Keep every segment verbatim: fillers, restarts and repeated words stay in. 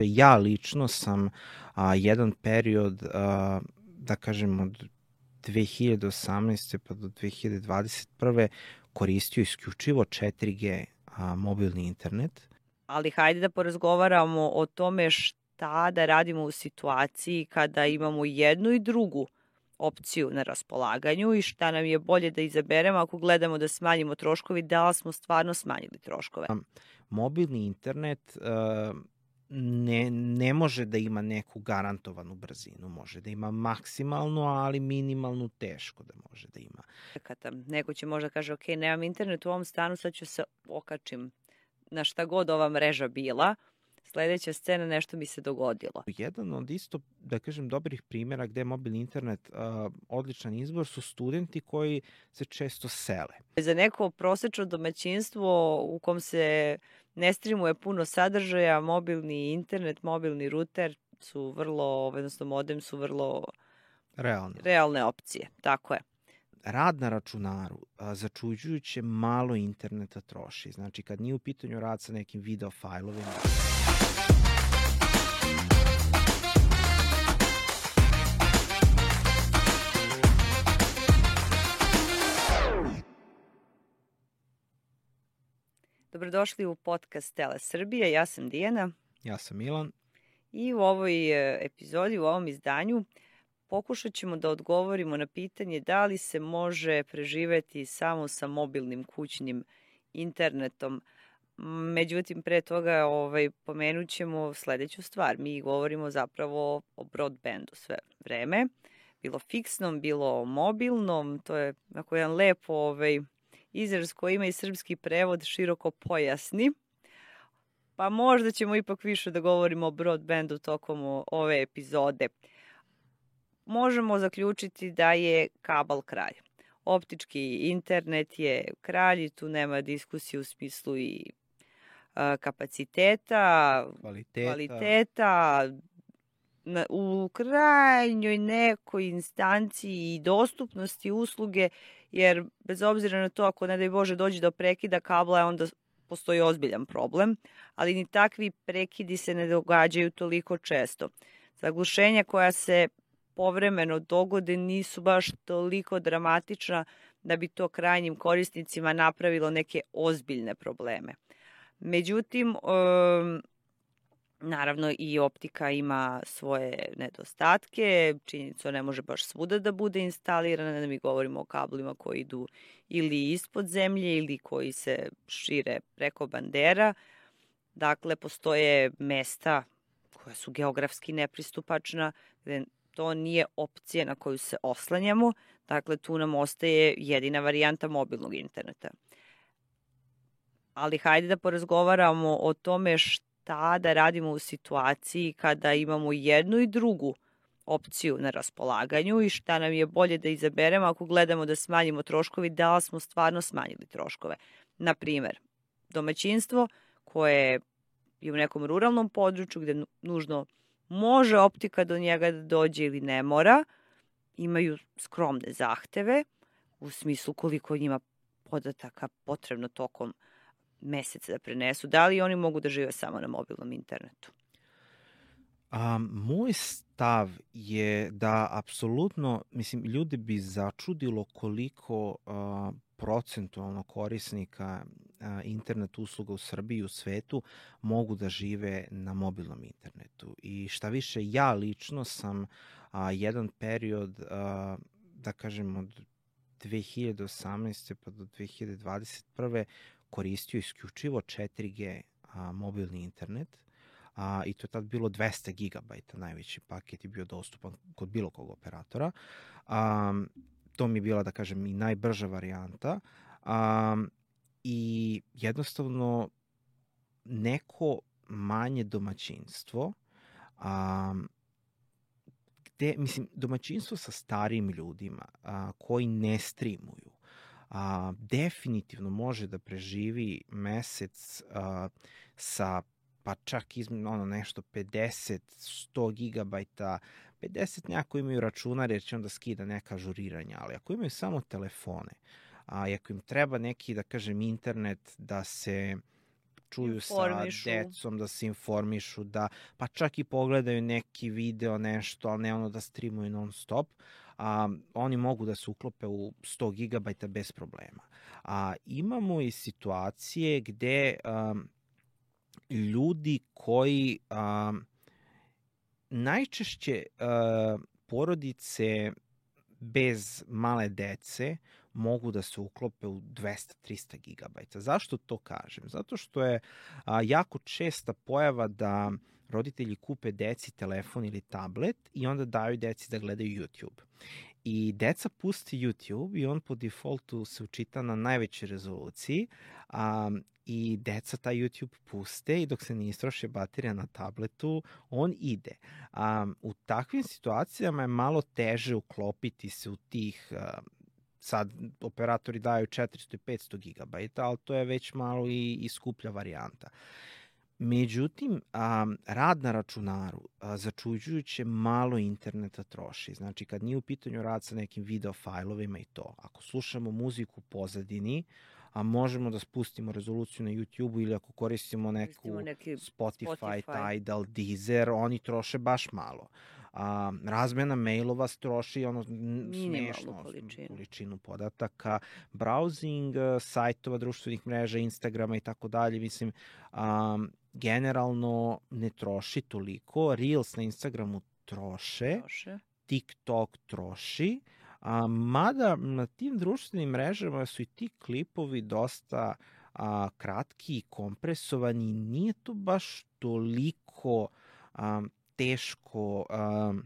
Ja lično sam a, jedan period, a, da kažem od dve hiljade osamnaeste pa do dve hiljade dvadeset prve koristio isključivo četiri G a, mobilni internet. Ali hajde da porazgovaramo o tome šta da radimo u situaciji kada imamo jednu i drugu opciju na raspolaganju i šta nam je bolje da izaberemo ako gledamo da smanjimo troškovi, da li smo stvarno smanjili troškove. Mobilni internet uh, ne, ne može da ima neku garantovanu brzinu, može da ima maksimalnu, ali minimalnu teško da može da ima. Kada neko će možda kaže, ok, nemam internet u ovom stanu, sad ću se okačim na šta god ova mreža bila, sledeća scena, nešto mi se dogodilo. Jedan od isto, da kažem, dobrih primjera gde je mobilni internet uh, odličan izbor su studenti koji se često sele. Za neko prosečno domaćinstvo u kom se ne streamuje puno sadržaja, mobilni internet, mobilni ruter su vrlo, odnosno modem su vrlo realne, realne opcije. Tako je. Rad na računaru a, začuđujuće malo interneta troši. Znači, kad nije u pitanju rad sa nekim video fajlovima. Dobrodošli u podcast Tele Srbije. Ja sam Dijana. Ja sam Milan. I u ovoj epizodi, u ovom izdanju, pokušat ćemo da odgovorimo na pitanje da li se može preživeti samo sa mobilnim kućnim internetom. Međutim, pre toga ovaj, pomenut ćemo sledeću stvar. Mi govorimo zapravo o broadbandu sve vreme. Bilo fiksnom, bilo mobilnom. To je ako jedan lepo ovaj, izraz koji ima i srpski prevod široko pojasni. Pa možda ćemo ipak više da govorimo o broadbandu tokom ove epizode. Možemo zaključiti da je kabel kralj. Optički internet je kralj i tu nema diskusije u smislu i a, kapaciteta, kvaliteta, kvaliteta na, u krajnjoj nekoj instanciji i dostupnosti usluge, jer bez obzira na to ako ne daj Bože dođe do prekida kabla, onda postoji ozbiljan problem, ali ni takvi prekidi se ne događaju toliko često. Zaglušenja koja se povremeno dogode nisu baš toliko dramatična da bi to krajnjim korisnicima napravilo neke ozbiljne probleme. Međutim, um, naravno i optika ima svoje nedostatke, činjenica ne može baš svuda da bude instalirana, da mi govorimo o kablima koji idu ili ispod zemlje ili koji se šire preko bandera. Dakle, postoje mesta koja su geografski nepristupačna, gde to nije opcija na koju se oslanjamo, dakle tu nam ostaje jedina varijanta mobilnog interneta. Ali hajde da porazgovaramo o tome šta da radimo u situaciji kada imamo jednu i drugu opciju na raspolaganju i šta nam je bolje da izaberemo ako gledamo da smanjimo troškovi, da li smo stvarno smanjili troškove. Na primer, domaćinstvo koje je u nekom ruralnom području gde nužno može optika do njega da dođe ili ne mora, imaju skromne zahteve u smislu koliko njima podataka potrebno tokom meseca da prenesu. Da li oni mogu da žive samo na mobilnom internetu? A, moj stav je da apsolutno, mislim, ljudi bi začudilo koliko a, procentualno korisnika a, internet usluga u Srbiji i u svetu mogu da žive na mobilnom internetu. I šta više, ja lično sam a, jedan period, a, da kažem, od dve hiljade osamnaeste pa do dve hiljade dvadeset prve koristio isključivo četiri G a, mobilni internet. A, i to je tad bilo dvesta gigabajta, najveći paket je bio dostupan kod bilo kog operatora. A, to mi je bila, da kažem, i najbrža varijanta. A, I jednostavno neko manje domaćinstvo, a, gde, mislim, domaćinstvo sa starijim ljudima a, koji ne streamuju, a, definitivno može da preživi mesec a, sa pa čak izme, ono nešto pedeset do sto gigabajta, pedeset nekako imaju računare jer će onda skida neka ažuriranja, ali ako imaju samo telefone, a ako im treba neki, da kažem, internet da se čuju sa Informišu. decom, da se informišu, da pa čak i pogledaju neki video, nešto, ali ne ono da streamuju non stop. A, oni mogu da se uklope u sto gigabajta bez problema. A imamo i situacije gde um, ljudi koji um, najčešće uh, porodice bez male dece mogu da se uklope u dvesta do trista gigabajta. Zašto to kažem? Zato što je a, jako česta pojava da roditelji kupe deci telefon ili tablet i onda daju deci da gledaju YouTube. I deca pusti YouTube i on po defaultu se učita na najvećoj rezoluciji a, i deca taj YouTube puste i dok se ne istroši baterija na tabletu, on ide. A, u takvim situacijama je malo teže uklopiti se u tih, a, sad operatori daju četiristo i petsto gigabajta, ali to je već malo i, i skuplja varijanta. Međutim, a, rad na računaru a, začuđujuće malo interneta troši. Znači, kad nije u pitanju rad sa nekim video fajlovima i to, ako slušamo muziku u pozadini, a možemo da spustimo rezoluciju na YouTube-u ili ako koristimo neku Spotify, Spotify, Tidal, Deezer, oni troše baš malo. A, razmena mailova troši ono smešno količinu. količinu podataka, browsing sajtova, društvenih mreža, Instagrama i tako dalje, mislim, a, generalno ne troši toliko. Reels na Instagramu troše, troše. TikTok troši, a, mada na tim društvenim mrežama su i ti klipovi dosta a, kratki i kompresovani, nije to baš toliko a, teško um,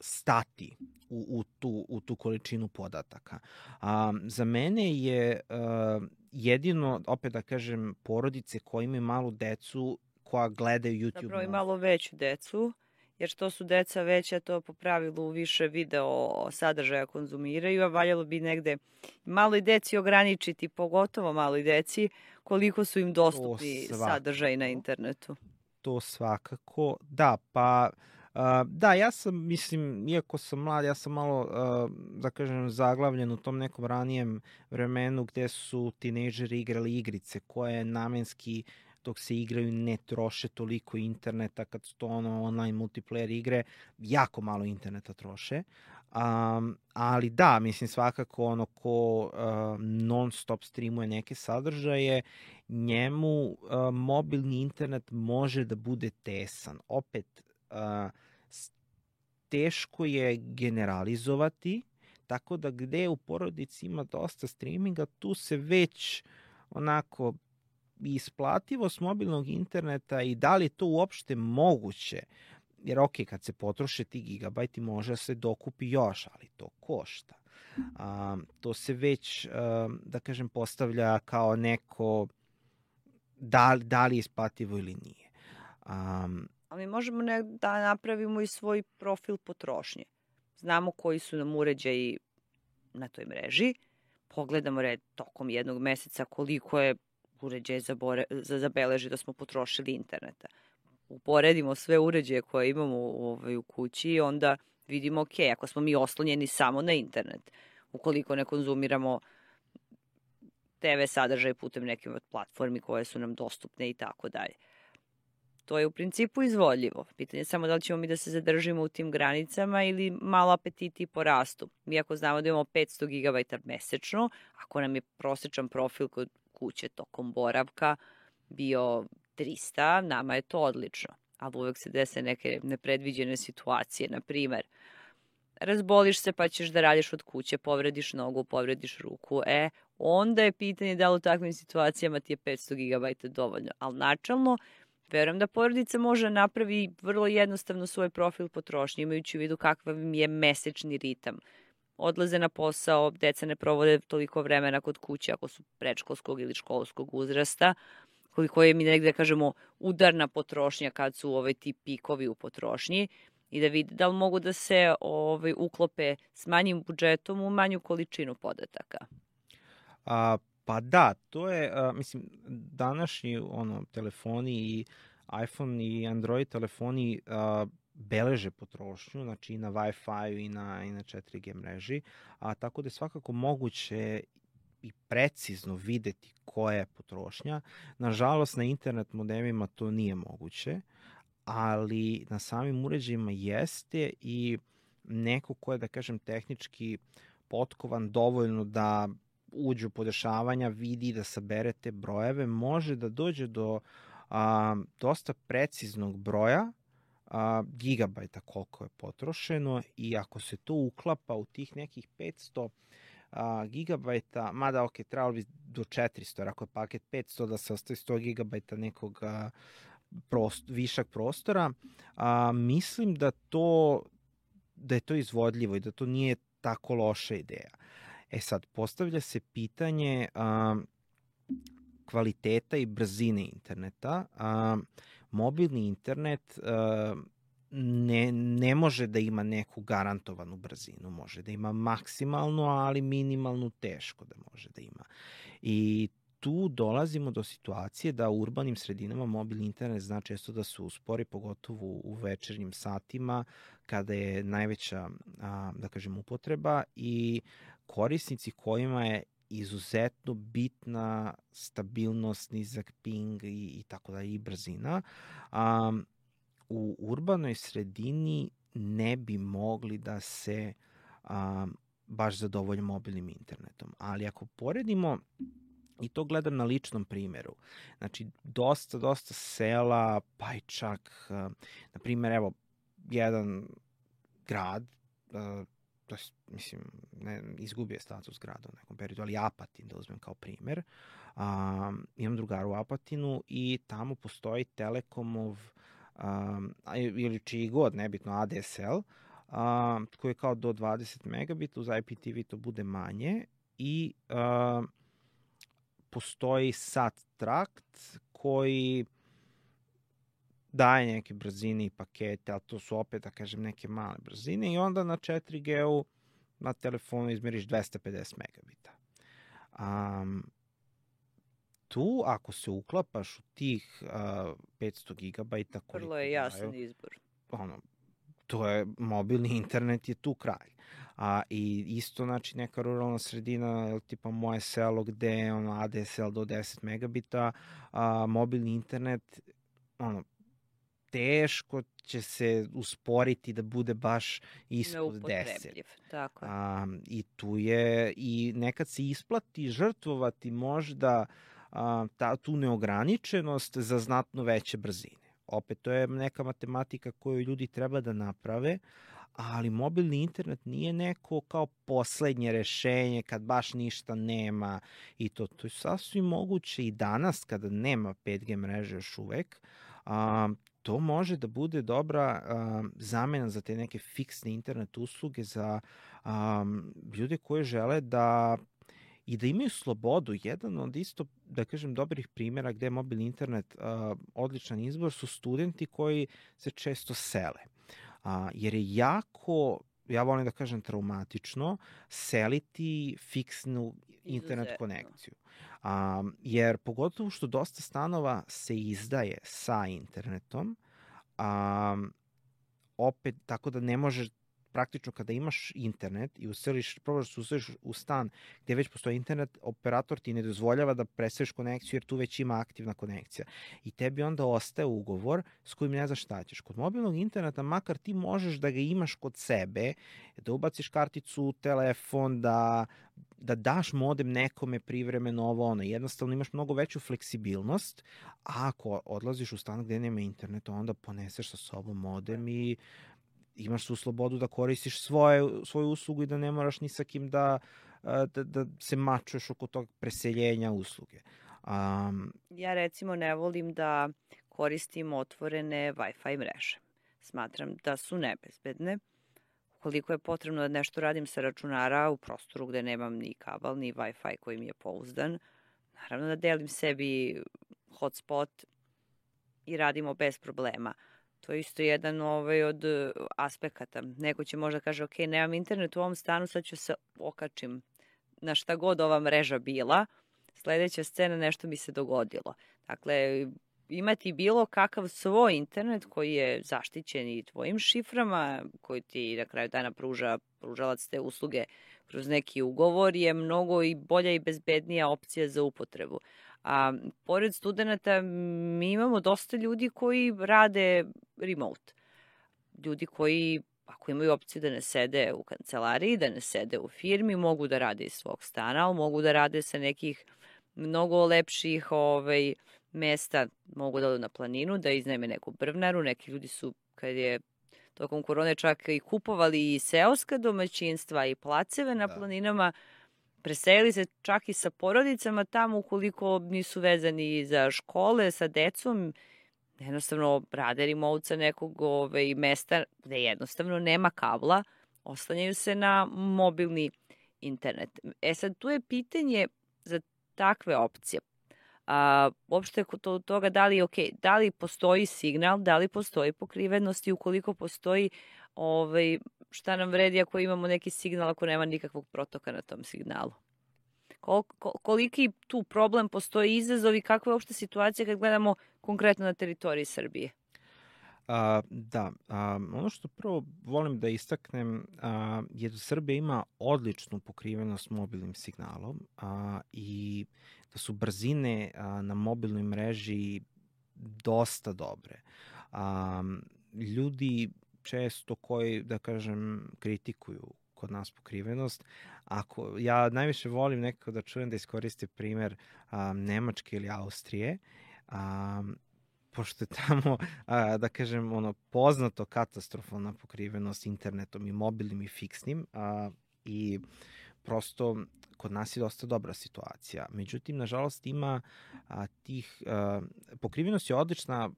stati u, u, tu, u tu količinu podataka. Um, za mene je uh, jedino, opet da kažem, porodice koje imaju malu decu koja gledaju YouTube. Zapravo i malo veću decu, jer što su deca veća, to po pravilu više video sadržaja konzumiraju, a valjalo bi negde maloj deci ograničiti, pogotovo maloj deci, koliko su im dostupni sadržaji na internetu. To svakako, da, pa uh, da, ja sam, mislim, iako sam mlad, ja sam malo, uh, da kažem, zaglavljen u tom nekom ranijem vremenu gde su tinejdžeri igrali igrice koje namenski dok se igraju ne troše toliko interneta, kad su to ono online multiplayer igre, jako malo interneta troše. Um, ali da, mislim svakako ono ko uh, non stop streamuje neke sadržaje, njemu uh, mobilni internet može da bude tesan. Opet, uh, teško je generalizovati, tako da gde u porodici ima dosta streaminga, tu se već onako isplativost mobilnog interneta i da li je to uopšte moguće. Jer ok, kad se potroše ti gigabajti može se dokupi još, ali to košta. Um, to se već, um, da kažem, postavlja kao neko da, da li je isplativo ili nije. Um, ali možemo ne, da napravimo i svoj profil potrošnje. Znamo koji su nam uređaji na toj mreži, pogledamo red tokom jednog meseca koliko je uređaj zabore, zabeleži da smo potrošili interneta. Uporedimo sve uređaje koje imamo u, ovaj, u kući i onda vidimo, ok, ako smo mi oslonjeni samo na internet, ukoliko ne konzumiramo te ve sadržaje putem neke od platformi koje su nam dostupne i tako dalje. To je u principu izvodljivo. Pitanje je samo da li ćemo mi da se zadržimo u tim granicama ili malo apetiti porastu. Mi ako znamo da imamo petsto gigabajta mesečno, ako nam je prosječan profil kod kuće tokom boravka bio trista, nama je to odlično. Ali uvek se dese neke nepredviđene situacije. Na primer, razboliš se pa ćeš da radiš od kuće, povrediš nogu, povrediš ruku. E, onda je pitanje da li u takvim situacijama ti je petsto gigabajta dovoljno. Ali načalno, verujem da porodica može napravi vrlo jednostavno svoj profil potrošnje, imajući u vidu kakav je mesečni ritam. Odlaze na posao, deca ne provode toliko vremena kod kuće ako su predškolskog ili školskog uzrasta, koliko je mi negde, kažemo, udarna potrošnja kad su ovaj, ti pikovi u potrošnji i da vide da li mogu da se ovaj, uklope s manjim budžetom u manju količinu podataka. A, pa da, to je, a, mislim, današnji ono, telefoni i iPhone i Android telefoni a, beleže potrošnju, znači i na Wi-Fi i na, i na četiri G mreži, a tako da je svakako moguće i precizno videti koja je potrošnja. Nažalost, na internet modemima to nije moguće, ali na samim uređajima jeste i neko ko je, da kažem, tehnički potkovan dovoljno da uđe u podešavanja, vidi da sabere te brojeve, može da dođe do a, dosta preciznog broja a, gigabajta koliko je potrošeno i ako se to uklapa u tih nekih petsto a, gigabajta, mada ok, trebalo bi do četiristo, jer ako je paket petsto da se ostaje sto gigabajta nekog a, prost, višak prostora, a, mislim da to da je to izvodljivo i da to nije tako loša ideja. E sad, postavlja se pitanje a, kvaliteta i brzine interneta. A, mobilni internet a, ne, ne može da ima neku garantovanu brzinu. Može da ima maksimalnu, ali minimalnu teško da može da ima. I tu dolazimo do situacije da u urbanim sredinama mobilni internet zna često da se uspori, pogotovo u večernjim satima, kada je najveća, a, da kažem, upotreba i korisnici kojima je izuzetno bitna stabilnost, nizak ping i, i tako da i brzina, a, u urbanoj sredini ne bi mogli da se a, baš zadovolje mobilnim internetom. Ali ako poredimo, i to gledam na ličnom primjeru, znači dosta, dosta sela, pa i čak, na primjer, evo, jedan grad, to je, mislim, ne, izgubio je status grada u nekom periodu, ali Apatin, da uzmem kao primjer. Um, imam drugara u Apatinu i tamo postoji Telekomov, um, ili čiji god, nebitno, A D S L, um, koji je kao do dvadeset megabita, uz I P T V to bude manje i um, postoji sat trakt koji daje neke brzine i pakete, ali to su opet, da kažem, neke male brzine i onda na četiri G-u na telefonu izmeriš dvesta pedeset megabita. Um, tu, ako se uklapaš u tih uh, petsto gigabajta... Vrlo je jasan izbor. Ono, to je, mobilni internet je tu kralj. A, i isto, znači, neka ruralna sredina, tipa moje selo gde je ono, A D S L do deset megabita, a, mobilni internet, ono, teško će se usporiti da bude baš ispod deset. Tako je. A, I tu je, i nekad se isplati žrtvovati možda a, ta, tu neograničenost za znatno veće brzine. Opet, to je neka matematika koju ljudi treba da naprave, ali mobilni internet nije neko kao poslednje rešenje kad baš ništa nema i to. To je sasvim moguće i danas kada nema pet G mreže još uvek. A, to može da bude dobra a, zamena za te neke fiksne internet usluge za a, ljude koji žele da i da imaju slobodu. Jedan od isto, da kažem, dobrih primjera gde je mobilni internet a, odličan izbor su studenti koji se često sele. A, jer je jako, ja volim da kažem, traumatično seliti fiksnu internet Izuzetno. konekciju. A, jer pogotovo što dosta stanova se izdaje sa internetom, a, opet tako da ne možeš praktično kada imaš internet i useliš, probaš da se useliš u stan gde već postoji internet, operator ti ne dozvoljava da preseliš konekciju jer tu već ima aktivna konekcija. I tebi onda ostaje ugovor s kojim ne znaš šta ćeš. Kod mobilnog interneta, makar ti možeš da ga imaš kod sebe, da ubaciš karticu u telefon, da, da daš modem nekome privremeno ovo ono. Jednostavno imaš mnogo veću fleksibilnost, a ako odlaziš u stan gde nema interneta, onda poneseš sa sobom modem i imaš tu slobodu da koristiš svoje, svoju uslugu i da ne moraš ni sa kim da, da, da se mačuješ oko tog preseljenja usluge. Um, ja recimo ne volim da koristim otvorene Wi-Fi mreže. Smatram da su nebezbedne. Ukoliko je potrebno da nešto radim sa računara u prostoru gde nemam ni kabel, ni Wi-Fi koji mi je pouzdan, naravno da delim sebi hotspot i radimo bez problema. To je isto jedan ovaj, od aspekata. Neko će možda kaže, ok, nemam internet u ovom stanu, sad ću se okačim na šta god ova mreža bila. Sledeća scena, nešto mi se dogodilo. Dakle, imati bilo kakav svoj internet koji je zaštićen i tvojim šiframa, koji ti na kraju dana pruža pružalac te usluge kroz neki ugovor, je mnogo i bolja i bezbednija opcija za upotrebu. A pored studenta mi imamo dosta ljudi koji rade remote. Ljudi koji, ako imaju opciju da ne sede u kancelariji, da ne sede u firmi, mogu da rade iz svog stana, ali mogu da rade sa nekih mnogo lepših ovaj, mesta, mogu da odu na planinu, da iznajme neku brvnaru. Neki ljudi su, kad je tokom korone, čak i kupovali i seoska domaćinstva i placeve na Da. planinama, preselili se čak i sa porodicama tamo ukoliko nisu vezani za škole, sa decom, jednostavno rade remote sa nekog ovaj, mesta gde jednostavno nema kabla, oslanjaju se na mobilni internet. E sad, tu je pitanje za takve opcije. A, uopšte kod toga da li, okay, da li postoji signal, da li postoji pokrivenost i ukoliko postoji, ovaj, šta nam vredi ako imamo neki signal ako nema nikakvog protoka na tom signalu. Kol, koliki tu problem postoji, izazov i kakva je uopšte situacija kad gledamo konkretno na teritoriji Srbije? A, da, a, ono što prvo volim da istaknem a, je da Srbija ima odličnu pokrivenost mobilnim signalom a, i da su brzine a, na mobilnoj mreži dosta dobre. A, ljudi često koji, da kažem, kritikuju kod nas pokrivenost, ako ja najviše volim nekako da čujem da iskoriste primer a, Nemačke ili Austrije, a, pošto je tamo, a, da kažem, ono, poznato katastrofalna pokrivenost internetom i mobilnim i fiksnim a, i prosto kod nas je dosta dobra situacija. Međutim, nažalost, ima a, tih, a, pokrivenost je odlična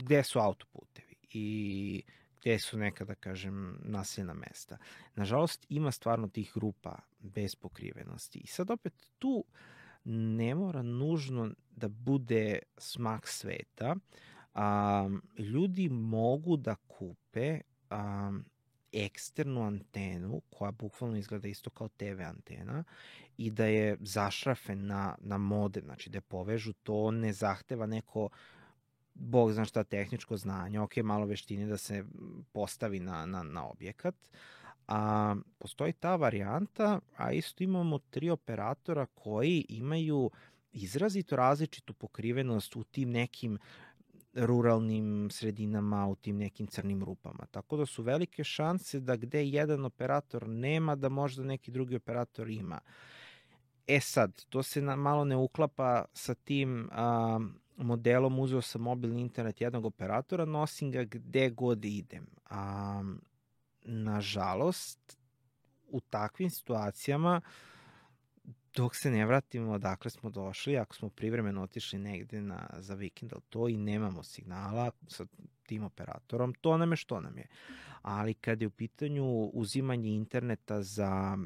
gde su autoputevi i gde su neka, da kažem, naseljena mesta. Nažalost, ima stvarno tih grupa bez pokrivenosti. I sad opet tu ne mora nužno da bude smak sveta. A, ljudi mogu da kupe a, eksternu antenu koja bukvalno izgleda isto kao te ve antena i da je zašrafe na, na modem, znači da je povežu, to ne zahteva neko Bog zna šta tehničko znanje, ok, malo veštine da se postavi na, na, na objekat. A, postoji ta varijanta, a isto imamo tri operatora koji imaju izrazito različitu pokrivenost u tim nekim ruralnim sredinama, u tim nekim crnim rupama. Tako da su velike šanse da gde jedan operator nema, da možda neki drugi operator ima. E sad, to se na, malo ne uklapa sa tim a, modelom, uzeo sam mobilni internet jednog operatora, nosim ga gde god idem. A, nažalost, u takvim situacijama, dok se ne vratimo odakle smo došli, ako smo privremeno otišli negde na, za vikend, ali to i nemamo signala sa tim operatorom, to nam je što nam je. Ali kad je u pitanju uzimanje interneta za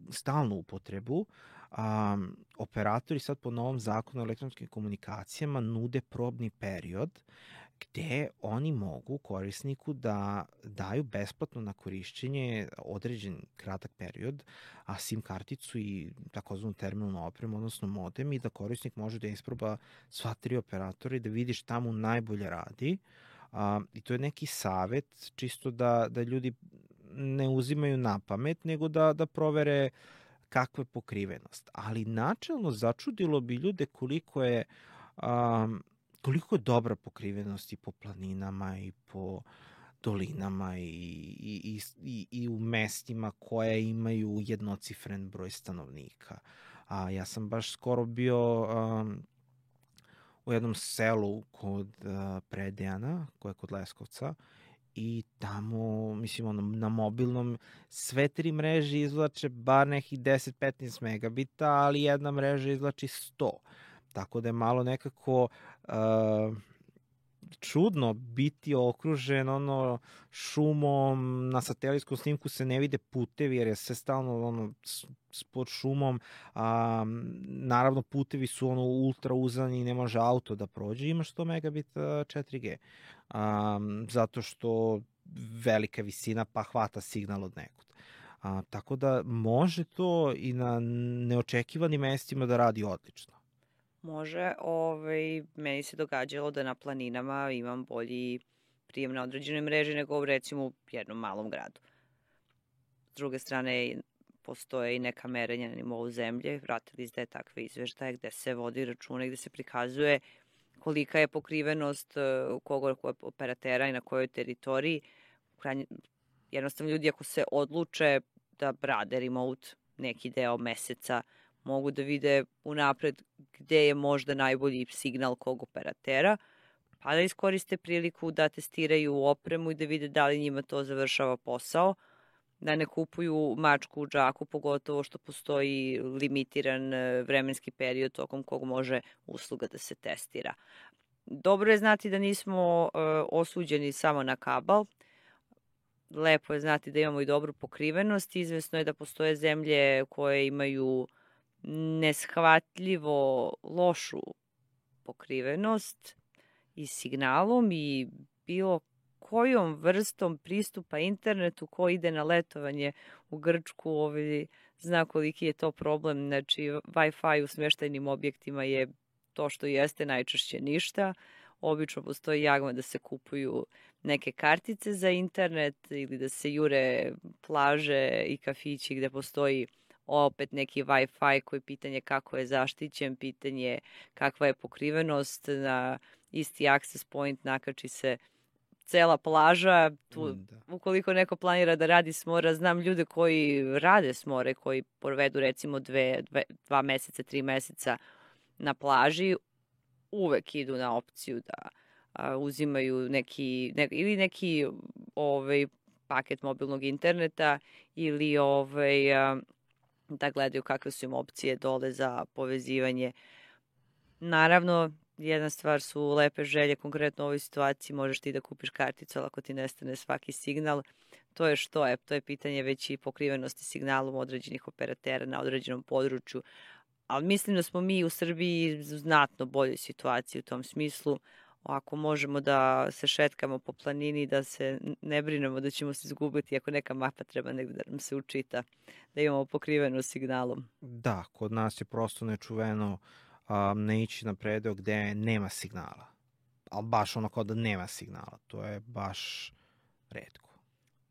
stalnu upotrebu, um, operatori sad po novom zakonu o elektronskim komunikacijama nude probni period gde oni mogu korisniku da daju besplatno na korišćenje određen kratak period, a SIM karticu i takozvanu terminalnu opremu, odnosno modem, i da korisnik može da isproba sva tri operatora i da vidi šta mu najbolje radi. A, I to je neki savet, čisto da, da ljudi ne uzimaju na pamet, nego da, da provere kakva je pokrivenost. Ali načelno začudilo bi ljude koliko je... Um, koliko je dobra pokrivenost i po planinama i po dolinama i, i, i, i u mestima koje imaju jednocifren broj stanovnika. A, ja sam baš skoro bio um, u jednom selu kod uh, Predejana, koje je kod Leskovca, i tamo, mislim, ono, na mobilnom sve tri mreže izvlače bar nekih deset do petnaest megabita, ali jedna mreža izvlači sto. Tako da je malo nekako uh, čudno biti okružen ono šumom, na satelitskom snimku se ne vide putevi jer je sve stalno ono pod šumom, a, naravno putevi su ono ultra uzani i ne može auto da prođe, ima sto megabita četiri ge, a, zato što velika visina pa hvata signal od nekud. A, tako da može to i na neočekivanim mestima da radi odlično. Može, ovaj, meni se događalo da na planinama imam bolji prijem na određenoj mreži nego recimo u jednom malom gradu. S druge strane, postoje i neka merenja na nivou zemlje, vratili ste takve izveštaje gde se vodi računa i gde se prikazuje kolika je pokrivenost kog operatera i na kojoj teritoriji. Jednostavno ljudi ako se odluče da rade remote neki deo meseca, mogu da vide unapred gde je možda najbolji signal kog operatera, pa da iskoriste priliku da testiraju opremu i da vide da li njima to završava posao, da ne kupuju mačku u džaku, pogotovo što postoji limitiran vremenski period tokom kog može usluga da se testira. Dobro je znati da nismo uh, osuđeni samo na kabal. Lepo je znati da imamo i dobru pokrivenost. Izvesno je da postoje zemlje koje imaju neshvatljivo lošu pokrivenost i signalom i bilo kojom vrstom pristupa internetu ko ide na letovanje u Grčku, ovaj, zna koliki je to problem. Znači, Wi-Fi u smještajnim objektima je to što jeste, najčešće ništa. Obično postoji jagma da se kupuju neke kartice za internet ili da se jure plaže i kafići gde postoji opet neki Wi-Fi koji pitanje kako je zaštićen, pitanje kakva je pokrivenost, na isti access point nakači se cela plaža. Tu, da. Ukoliko neko planira da radi s mora, znam ljude koji rade s more, koji provedu recimo dve, dve, dva meseca, tri meseca na plaži, uvek idu na opciju da a, uzimaju neki, ne, ili neki ovaj, paket mobilnog interneta ili ovaj, a, da gledaju kakve su im opcije dole za povezivanje. Naravno, jedna stvar su lepe želje, konkretno u ovoj situaciji možeš ti da kupiš karticu, ali ako ti nestane svaki signal, to je što je, to je pitanje već i pokrivenosti signalom određenih operatera na određenom području. Ali mislim da smo mi u Srbiji u znatno boljoj situaciji u tom smislu. Ako možemo da se šetkamo po planini, da se ne brinemo da ćemo se izgubiti ako neka mapa treba negde da nam se učita, da imamo pokriveno signalom. Da, kod nas je prosto nečuveno um, ne ići na predeo gde nema signala. Ali baš ono kao da nema signala. To je baš retko.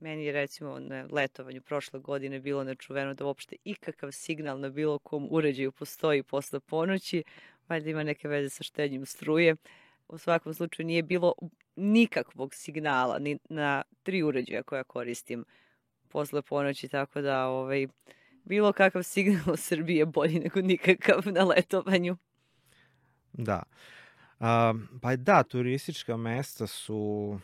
Meni je recimo na letovanju prošle godine bilo nečuveno da uopšte ikakav signal na bilo kom uređaju postoji posle ponoći, valjda ima neke veze sa štednjom struje. U svakom slučaju nije bilo nikakvog signala ni na tri uređaja koja koristim posle ponoći, tako da ovaj, bilo kakav signal u Srbiji je bolji nego nikakav na letovanju. Da. Um, pa da, turistička mesta su...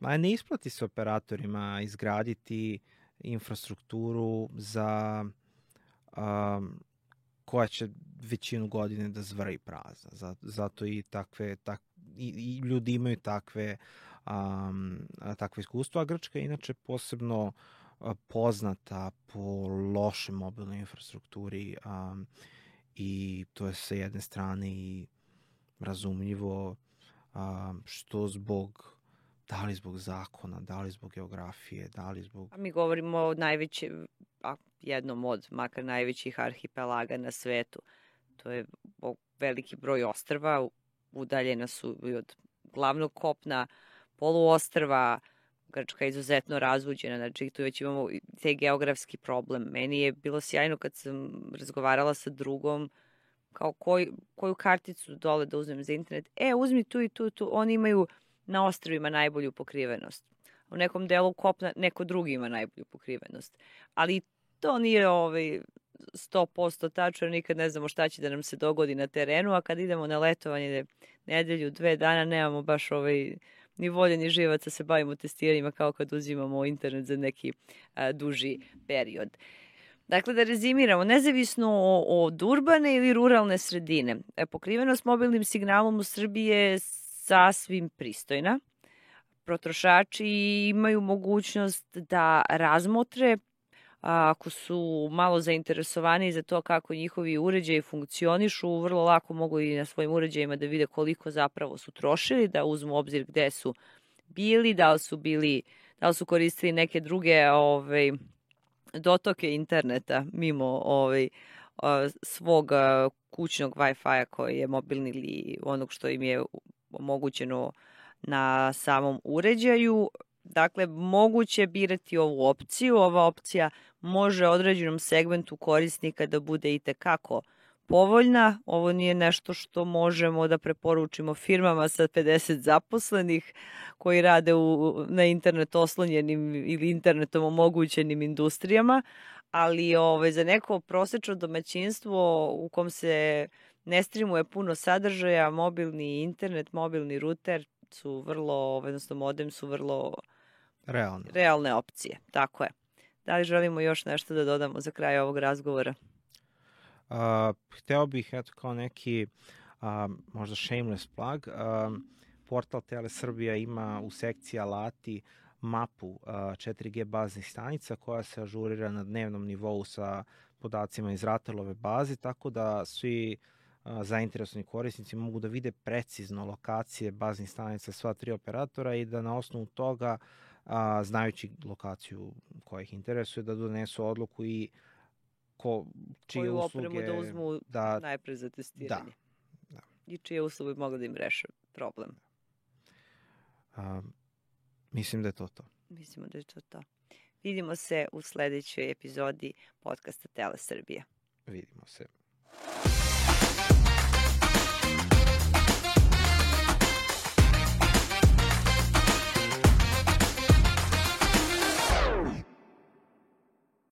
Ma ne isplati se operatorima izgraditi infrastrukturu za um, koja će većinu godine da zvrji prazna. Zato i takve tak, i, i ljudi imaju takve um, takve iskustva. A Grčka je inače posebno uh, poznata po lošoj mobilnoj infrastrukturi um, i to je sa jedne strane i razumljivo um, što zbog da li zbog zakona, da li zbog geografije, da li zbog... A mi govorimo o najvećem, a jednom od, makar najvećih arhipelaga na svetu. To je veliki broj ostrva, udaljena su i od glavnog kopna, poluostrva, Grčka je izuzetno razvuđena, znači tu već imamo taj geografski problem. Meni je bilo sjajno kad sam razgovarala sa drugom, kao koj, koju karticu dole da uzmem za internet. E, uzmi tu i tu, tu, oni imaju na ostrvima najbolju pokrivenost. U nekom delu kopna neko drugi ima najbolju pokrivenost. Ali to nije ovaj sto posto tačno, nikad ne znamo šta će da nam se dogodi na terenu, a kad idemo na letovanje nedelju, dve dana, nemamo baš ovaj ni volje ni živaca se bavimo testiranjima kao kad uzimamo internet za neki a, duži period. Dakle, da rezimiramo, nezavisno od urbane ili ruralne sredine, pokrivenost mobilnim signalom u Srbiji je sasvim pristojna. Potrošači imaju mogućnost da razmotre, ako su malo zainteresovani za to kako njihovi uređaji funkcionišu, vrlo lako mogu i na svojim uređajima da vide koliko zapravo su trošili, da uzmu obzir gde su bili, da li su bili, da li su koristili neke druge ovaj, dotoke interneta mimo ovaj, svog kućnog Wi-Fi-a koji je mobilni ili onog što im je omogućeno na samom uređaju. Dakle, moguće birati ovu opciju. Ova opcija može određenom segmentu korisnika da bude itekako povoljna. Ovo nije nešto što možemo da preporučimo firmama sa pedeset zaposlenih koji rade u, na internet oslonjenim ili internetom omogućenim industrijama, ali ove, za neko prosečno domaćinstvo u kom se ne streamuje puno sadržaja, mobilni internet, mobilni ruter su vrlo, odnosno modem su vrlo realne. realne opcije. Tako je. Da li želimo još nešto da dodamo za kraj ovog razgovora? Uh, hteo bih, eto, kao neki uh, možda shameless plug, uh, portal Telesrbija ima u sekciji alati mapu uh, četiri G baznih stanica koja se ažurira na dnevnom nivou sa podacima iz Ratelove baze, tako da svi uh, zainteresovani korisnici mogu da vide precizno lokacije baznih stanica sva tri operatora i da na osnovu toga, uh, znajući lokaciju koja ih interesuje, da donesu odluku i ko, čije koju usluge, opremu da uzmu da, najpre za testiranje. Da, da. I čije usluge mogu da im reše problem. A, mislim da je to to. Mislimo da je to to. Vidimo se u sledećoj epizodi podcasta Telesrbija. Vidimo se.